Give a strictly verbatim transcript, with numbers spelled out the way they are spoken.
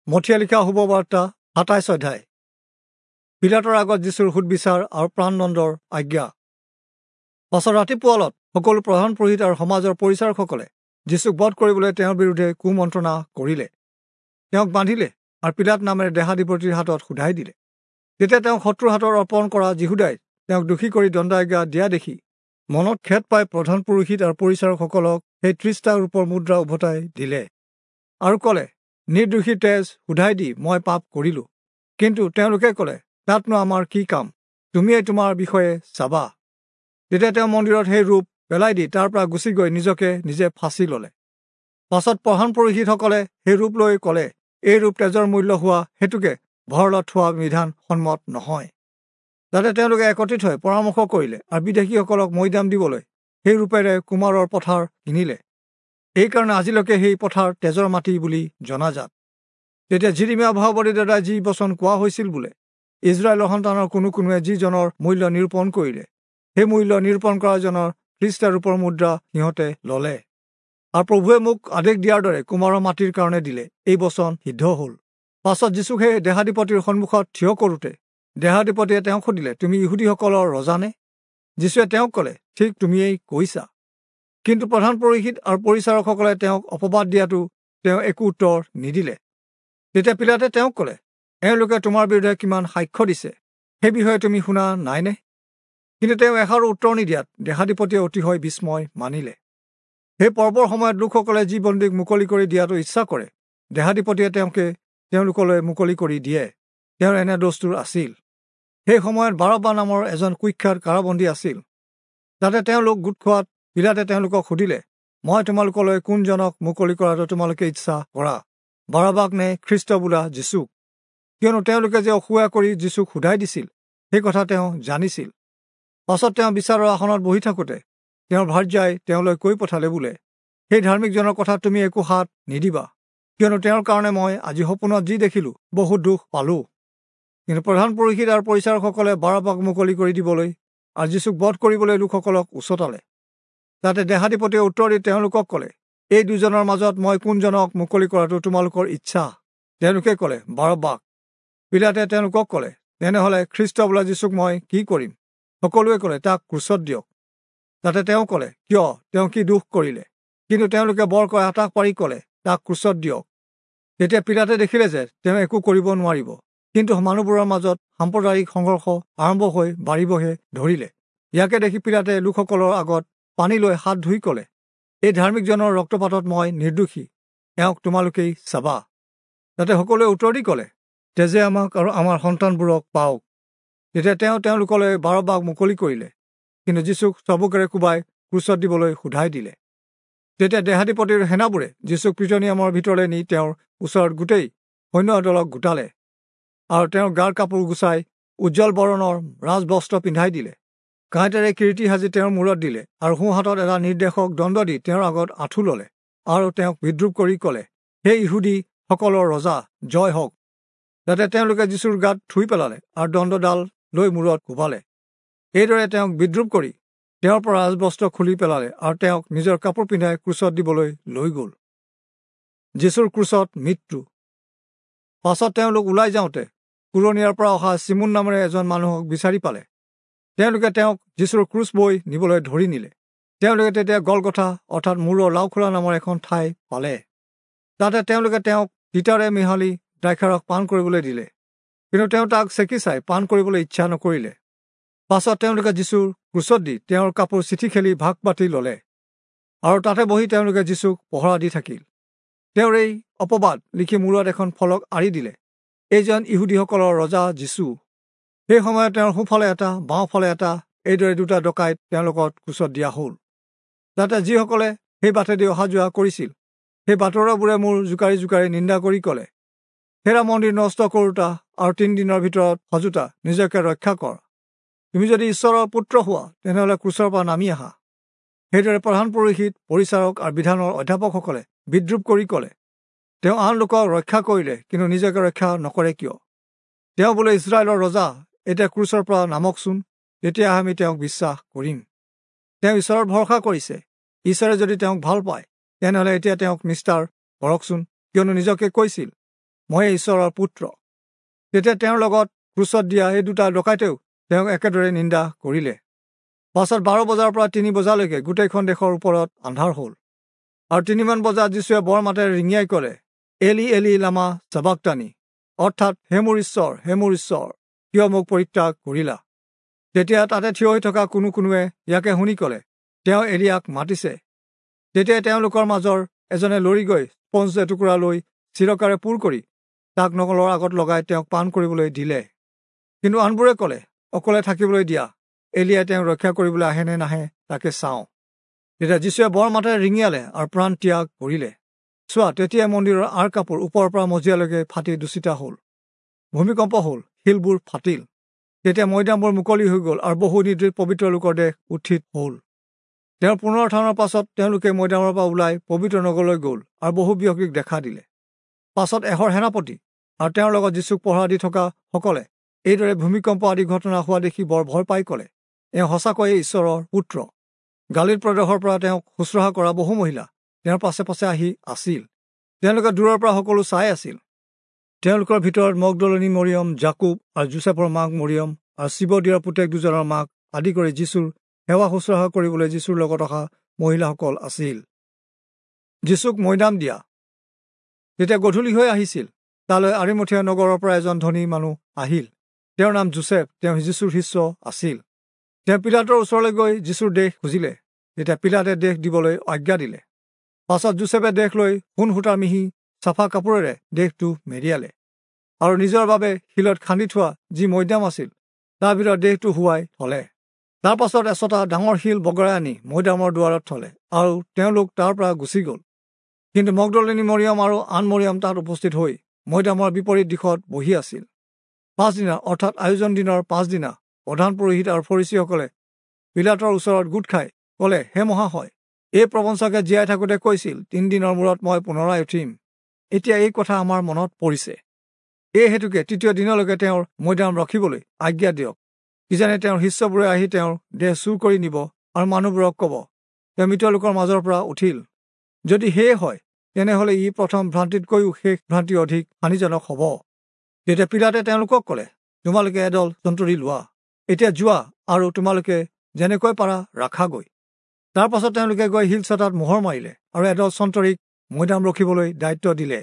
মথিয়ে লিখা শুভবাৰ্তা সাতাইছ অধ্যায়। পিলাতৰ আগত যীশুৰ সুদবিচাৰ আৰু প্ৰাণদণ্ডৰ আজ্ঞা। পাছত ৰাতিপুৱালত সকলো প্ৰধান পুৰোহিত আৰু সমাজৰ পৰিচাৰকসকলে যীশুক বধ কৰিবলৈ তেওঁৰ বিৰুদ্ধে কুমন্ত্ৰণা কৰিলে। তেওঁক বান্ধিলে আৰু পিলাত নামেৰে দেহাধিপতিৰ হাতত সোধাই দিলে। তেতিয়া তেওঁক শত্ৰুৰ হাতত অৰ্পণ কৰা যীহুদাই তেওঁক দোষী কৰি দণ্ডাজ্ঞা দিয়া দেখি মনত খেদ পাই প্ৰধান পুৰোহিত আৰু পৰিচাৰকসকলক সেই ত্ৰিশটা ৰূপৰ মুদ্ৰা উভতাই দিলে আৰু ক'লে, নিৰ্দোষী তেজ সোধাই দি মই পাপ কৰিলোঁ। কিন্তু তেওঁলোকে ক'লে, তাতনো আমাৰ কি কাম, তুমিয়েই তোমাৰ বিষয়ে চাবা। তেতিয়া তেওঁ মন্দিৰত সেই ৰূপ পেলাই দি তাৰ পৰা গুচি গৈ নিজকে নিজে ফাঁচি ল'লে। পাছত প্ৰধান পুৰোহিতসকলে সেই ৰূপ লৈ ক'লে, এই ৰূপ তেজৰ মূল্য হোৱা হেতুকে ভঁৰালত থোৱা বিধান সন্মত নহয়। তাতে তেওঁলোকে একত্ৰিত হৈ পৰামৰ্শ কৰিলে আৰু বিদেশীসকলক মৈদাম দিবলৈ সেই ৰূপেৰে কুমাৰৰ পথাৰ কিনিলে। এইকাৰণে আজিলৈকে সেই পথাৰ তেজৰ মাটি বুলি জনাজাত। তেতিয়া যিৰিমিয়া ভাৱবাদীৰ দ্বাৰা যি বচন কোৱা হৈছিল বোলে, ইজৰাইলৰ সন্তানৰ কোনো কোনোৱে যিজনৰ মূল্য নিৰূপণ কৰিলে, সেই মূল্য নিৰূপণ কৰাজনৰ ত্ৰিশটা ৰূপৰ মুদ্ৰা সিহঁতে ল'লে। আৰু প্ৰভুৱে মোক আদেশ দিয়াৰ দৰে কুমাৰৰ মাটিৰ কাৰণে দিলে। এই বচন সিদ্ধ হ'ল। পাছত যীশুক সেই দেহাধিপতিৰ সন্মুখত থিয় কৰোঁতে দেহাধিপতিয়ে তেওঁক সুধিলে, তুমি ইহুদীসকলৰ ৰজানে? যীশুৱে তেওঁক ক'লে, ঠিক তুমিয়েই কৈছা। কিন্তু প্ৰধান পুৰোহিত আৰু পৰিচাৰকসকলে তেওঁক অপবাদ দিয়াটো তেওঁ একো উত্তৰ নিদিলে। তেতিয়া পিলাতে তেওঁক ক'লে, এওঁলোকে তোমাৰ বিৰুদ্ধে কিমান সাক্ষ্য দিছে, সেই বিষয়ে তুমি শুনা নাইনে? কিন্তু তেওঁ এষাৰো উত্তৰ নিদিয়াত দেহাধিপতিয়ে অতিশয় বিস্ময় মানিলে। সেই পৰ্বৰ সময়ত লোকসকলে যি বন্দীক মুকলি কৰি দিয়াটো ইচ্ছা কৰে, দেহাধিপতিয়ে তেওঁকে তেওঁলোকলৈ মুকলি কৰি দিয়ে। তেওঁৰ এনে দস্তুৰ আছিল। সেই সময়ত বাৰব্বা নামৰ এজন কুখ্যাত কাৰাবন্দী আছিল। তাতে তেওঁলোক গোট খোৱাত পিলাতে তেওঁলোকক সুধিলে, মই তোমালোকলৈ কোনজনক মুকলি কৰাটো তোমালোকে ইচ্ছা কৰা, বাৰব্বাক নে খ্ৰীষ্ট বোলা যীশুক? কিয়নো তেওঁলোকে যে অসূয়া কৰি যীশুক সোধাই দিছিল, সেই কথা তেওঁ জানিছিল। পাছত তেওঁ বিচাৰৰ আসনত বহি থাকোঁতে তেওঁৰ ভাৰ্যাই তেওঁলৈ কৈ পঠালে বোলে, সেই ধাৰ্মিকজনৰ কথা তুমি একো হাত নিদিবা, কিয়নো তেওঁৰ কাৰণে মই আজি সপোনত যি দেখিলোঁ বহুত দুখ পালোঁ। কিন্তু প্ৰধান পুৰোহিত আৰু পৰিচাৰকসকলে বাৰব্বাক মুকলি কৰি দিবলৈ আৰু যীশুক বধ কৰিবলৈ লোকসকলক উচতালে। তাতে দেহাধিপতিয়ে উত্তৰ দি তেওঁলোকক ক'লে, এই দুজনৰ মাজত মই কোনজনক মুকলি কৰাটো তোমালোকৰ ইচ্ছা? তেওঁলোকে ক'লে, বাৰব্বাক। পিলাতে তেওঁলোকক ক'লে, তেনেহ'লে খ্ৰীষ্ট বোলা যীশুক মই কি কৰিম? সকলোৱে ক'লে, তাক ক্ৰুচত দিয়ক। তাতে তেওঁ ক'লে, কিয়, তেওঁ কি দোষ কৰিলে? কিন্তু তেওঁলোকে বৰকৈ আটাহ পাৰি ক'লে, তাক ক্ৰুচত দিয়ক। তেতিয়া পিলাতে দেখিলে যে তেওঁ একো কৰিব নোৱাৰিব, কিন্তু মানুহবোৰৰ মাজত সাম্প্ৰদায়িক সংঘৰ্ষ আৰম্ভ হৈ বাঢ়িবহে ধৰিলে। ইয়াকে দেখি পিলাতে লোকসকলৰ আগত পানী লৈ হাত ধুই ক'লে, এই ধাৰ্মিকজনৰ ৰক্তপাতত মই নিৰ্দোষী, এওঁক তোমালোকেই চাবা। তাতে সকলোৱে উত্তৰ দি ক'লে, তেজে আমাক আৰু আমাৰ সন্তানবোৰক পাওক। তেতিয়া তেওঁ তেওঁলোকলৈ বাৰব্বাক মুকলি কৰিলে, কিন্তু যীশুক চাবুকেৰে কোবাই ক্ৰুচত দিবলৈ সোধাই দিলে। তেতিয়া দেহাধিপতিৰ সেনাবোৰে যীশুক প্ৰিটনিয়ামৰ ভিতৰলৈ নি তেওঁৰ ওচৰত গোটেই সৈন্যদলক গোটালে আৰু তেওঁৰ গাৰ কাপোৰ গুচাই উজ্জ্বল বৰণৰ ৰাজবস্ত্ৰ পিন্ধাই দিলে। কাঁইটেৰে কিৰীটি সাজি তেওঁৰ মূৰত দিলে আৰু সোঁহাতত এটা নিৰ্দেশক দণ্ড দি তেওঁৰ আগত আঁঠু ল'লে আৰু তেওঁক বিদ্ৰূপ কৰি ক'লে, হে ইহুদীসকলৰ ৰজা, জয় হওক। যাতে তেওঁলোকে যীশুৰ গাত থুই পেলালে আৰু দণ্ডডাল লৈ মূৰত কোবালে। এইদৰে তেওঁক বিদ্ৰূপ কৰি তেওঁৰ পৰা ৰাজবস্ত্ৰ খুলি পেলালে আৰু তেওঁক নিজৰ কাপোৰ পিন্ধাই ক্ৰুচত দিবলৈ লৈ গ'ল। যীশুৰ ক্ৰুচত মৃত্যু। পাছত তেওঁলোক ওলাই যাওঁতে কুৰণীয়াৰ পৰা অহা চিমোন নামেৰে এজন মানুহক বিচাৰি পালে। তেওঁলোকে তেওঁক যীশুৰ ক্ৰুচ বৈ নিবলৈ ধৰি নিলে। তেওঁলোকে তেতিয়া গলগথা অৰ্থাৎ মূৰৰ লাওখোলা নামৰ এখন ঠাই পালে। তাতে তেওঁলোকে তেওঁক তিতাৰে মিহলি দ্ৰাক্ষাৰস পান কৰিবলৈ দিলে, কিন্তু তেওঁ তাক চেকি চাই পান কৰিবলৈ ইচ্ছা নকৰিলে। পাছত তেওঁলোকে যীশুৰ ক্ৰুচত দি তেওঁৰ কাপোৰ চিঠি খেলি ভাগ পাতি ল'লে আৰু তাতে বহি তেওঁলোকে যীশুক পহৰা দি থাকিল। তেওঁৰ এই অপবাদ লিখি মূৰত এখন ফলক আঁৰি দিলে, এইজন ইহুদীসকলৰ ৰজা যীশু। সেই সময়ত তেওঁৰ সোঁফালে এটা, বাওঁফালে এটা, এইদৰে দুটা ডকাইত তেওঁলোকক ক্ৰুচত দিয়া হ'ল। তাতে যিসকলে সেই বাটেদি অহা যোৱা কৰিছিল, সেই বাটৰুৱাবোৰে মূৰ জোকাৰি জোকাৰি নিন্দা কৰি ক'লে, হেৰা মন্দিৰ নষ্ট কৰোঁতা আৰু তিনিদিনৰ ভিতৰত সাজোতা, নিজকে ৰক্ষা কৰ। তুমি যদি ঈশ্বৰৰ পুত্ৰ হোৱা, তেনেহ'লে ক্ৰুচৰ পৰা নামি আহা। সেইদৰে প্ৰধান পুৰোহিত, পৰিচাৰক আৰু বিধানৰ অধ্যাপকসকলে বিদ্ৰূপ কৰি ক'লে, তেওঁ আন লোকক ৰক্ষা কৰিলে, কিন্তু নিজকে ৰক্ষা নকৰে কিয়? তেওঁ বোলে ইস্ৰায়েলৰ ৰজা, এতিয়া ক্ৰুচৰ পৰা নামকচোন, তেতিয়া আমি তেওঁক বিশ্বাস কৰিম। তেওঁ ঈশ্বৰত ভৰসা কৰিছে, ঈশ্বৰে যদি তেওঁক ভাল পায়, তেনেহ'লে এতিয়া তেওঁক নিস্তাৰ কৰকচোন, কিয়নো নিজকে কৈছিল, মই ঈশ্বৰৰ পুত্ৰ। তেতিয়া তেওঁৰ লগত ক্ৰুচত দিয়া এই দুটা ডকাইতেও তেওঁক একেদৰে নিন্দা কৰিলে। পাছত বাৰ বজাৰ পৰা তিনি বজালৈকে গোটেইখন দেশৰ ওপৰত আন্ধাৰ হ'ল। আৰু তিনিমান বজাত যীশুৱে বৰ মাতেৰে ৰিঙিয়াই ক'লে, এলি এলি লামা চাবাক্তানি, অৰ্থাৎ হে মোৰ ঈশ্বৰ, হে মোৰ ঈশ্বৰ, কিয় মোক পৰিত্যাগ কৰিলা? তেতিয়া তাতে থিয় হৈ থকা কোনো কোনোৱে ইয়াকে শুনি ক'লে, তেওঁ এলিয়াক মাতিছে। তেতিয়া তেওঁলোকৰ মাজৰ এজনে লৰি গৈ স্পঞ্জ এটুকুৰা লৈ চিৰকাৰে পূৰ কৰি তাক নঙলৰ আগত লগাই তেওঁক পান কৰিবলৈ দিলে। কিন্তু আনবোৰে ক'লে, অকলে থাকিবলৈ দিয়া, এলিয়াই তেওঁক ৰক্ষা কৰিবলৈ আহে নে নাহে তাকে চাওঁ। তেতিয়া যীশুৱে বৰ মাতেৰে ৰিঙিয়ালে আৰু প্ৰাণ ত্যাগ কৰিলে। চোৱা, তেতিয়াই মন্দিৰৰ আঁৰ কাপোৰ ওপৰৰ পৰা মজিয়ালৈকে ফাটি দুচিটা হ'ল। ভূমিকম্প হ'ল, শিলবোৰ ফাটিল। তেতিয়া মৈদামবোৰ মুকলি হৈ গ'ল আৰু বহু নিদ্ৰিত পবিত্ৰ লোকৰ দেহ উত্থিত হ'ল। তেওঁৰ পুনৰুত্থানৰ পাছত তেওঁলোকে মৈদামৰ পৰা ওলাই পবিত্ৰ নগৰলৈ গ'ল আৰু বহু ব্যক্তিক দেখা দিলে। পাছত এশৰ সেনাপতি আৰু তেওঁৰ লগত যীচুক পহৰা দি থকা সকলে এইদৰে ভূমিকম্প আদি ঘটনা হোৱা দেখি বৰ ভয় পাই ক'লে, এওঁ সঁচাকৈয়ে ঈশ্বৰৰ পুত্ৰ। গালিল প্ৰদেশৰ পৰা তেওঁক শুশ্ৰূষা কৰা বহু মহিলা তেওঁৰ পাছে পাছে আহি আছিল। তেওঁলোকে দূৰৰ পৰা সকলো চাই আছিল। তেওঁলোকৰ ভিতৰত মগদলনী মৰিয়ম, জাকুব আৰু যোচেফৰ মাক মৰিয়ম আৰু শিৱদিয়াৰ পুতেক দুজনৰ মাক আদি কৰি যীশুৰ সেৱা শুশ্ৰূষা কৰিবলৈ যীশুৰ লগত অহা মহিলাসকল আছিল। যীশুক মৈদাম দিয়া। তেতিয়া গধূলি হৈ আহিছিল। তালৈ আৰিমথিয়া নগৰৰ পৰা এজন ধনী মানুহ আহিল। তেওঁৰ নাম যোচেফ, তেওঁ যীশুৰ শিষ্য আছিল। তেওঁ পিলাতৰ ওচৰলৈ গৈ যীশুৰ দেহ খুজিলে। তেতিয়া পিলাতে দেহ দিবলৈ আজ্ঞা দিলে। পাছত যোচেফে দেহ লৈ সোণ সূতাৰ মিহি চাফা কাপোৰেৰে দেহটো মেৰিয়ালে আৰু নিজৰ বাবে শিলত খান্দি থোৱা যি মৈদাম আছিল তাৰ ভিতৰত দেহটো শুৱাই থলে। তাৰ পাছত এচটা ডাঙৰ শিল বগৰাই আনি মৈদামৰ দুৱাৰত থলে আৰু তেওঁলোক তাৰ পৰা গুচি গ'ল। কিন্তু মগদলিনী মৰিয়ম আৰু আন মৰিয়ম তাত উপস্থিত হৈ মৈদামৰ বিপৰীত দিশত বহি আছিল। পাছদিনা, অৰ্থাৎ আয়োজন দিনৰ পাছদিনা, প্ৰধান পুৰোহিত আৰু ফৰীচীসকলে পিলাতৰ ওচৰত গোট খাই ক'লে, হে মহাশয়, এই প্ৰবঞ্চকে জীয়াই থাকোঁতে কৈছিল, তিনিদিনৰ মূৰত মই পুনৰাই উঠিম। এতিয়া এই কথা আমাৰ মনত পৰিছে। এই হেতুকে তৃতীয় দিনলৈকে তেওঁৰ মৈদাম ৰখিবলৈ আজ্ঞা দিয়ক। কিজানি তেওঁৰ শিষ্যবোৰে আহি তেওঁৰ দেহ চুৰ কৰি নিব আৰু মানুহবোৰক ক'ব, তেওঁ মৃত লোকৰ মাজৰ পৰা উঠিল। যদি সেয়ে হয়, তেনেহ'লে ই প্ৰথম ভ্ৰান্তিতকৈও শেষ ভ্ৰান্তি অধিক হানিজনক হ'ব। তেতিয়া পিলাতে তেওঁলোকক ক'লে, তোমালোকে এদল জন্তৰী লোৱা, এতিয়া যোৱা আৰু তোমালোকে যেনেকৈ পাৰা ৰাখাগৈ। তাৰ পাছত তেওঁলোকে গৈ শিলচটাত মোহৰ মাৰিলে আৰু এদল চন্তৰীক মৈদাম ৰখিবলৈ দায়িত্ব দিলে।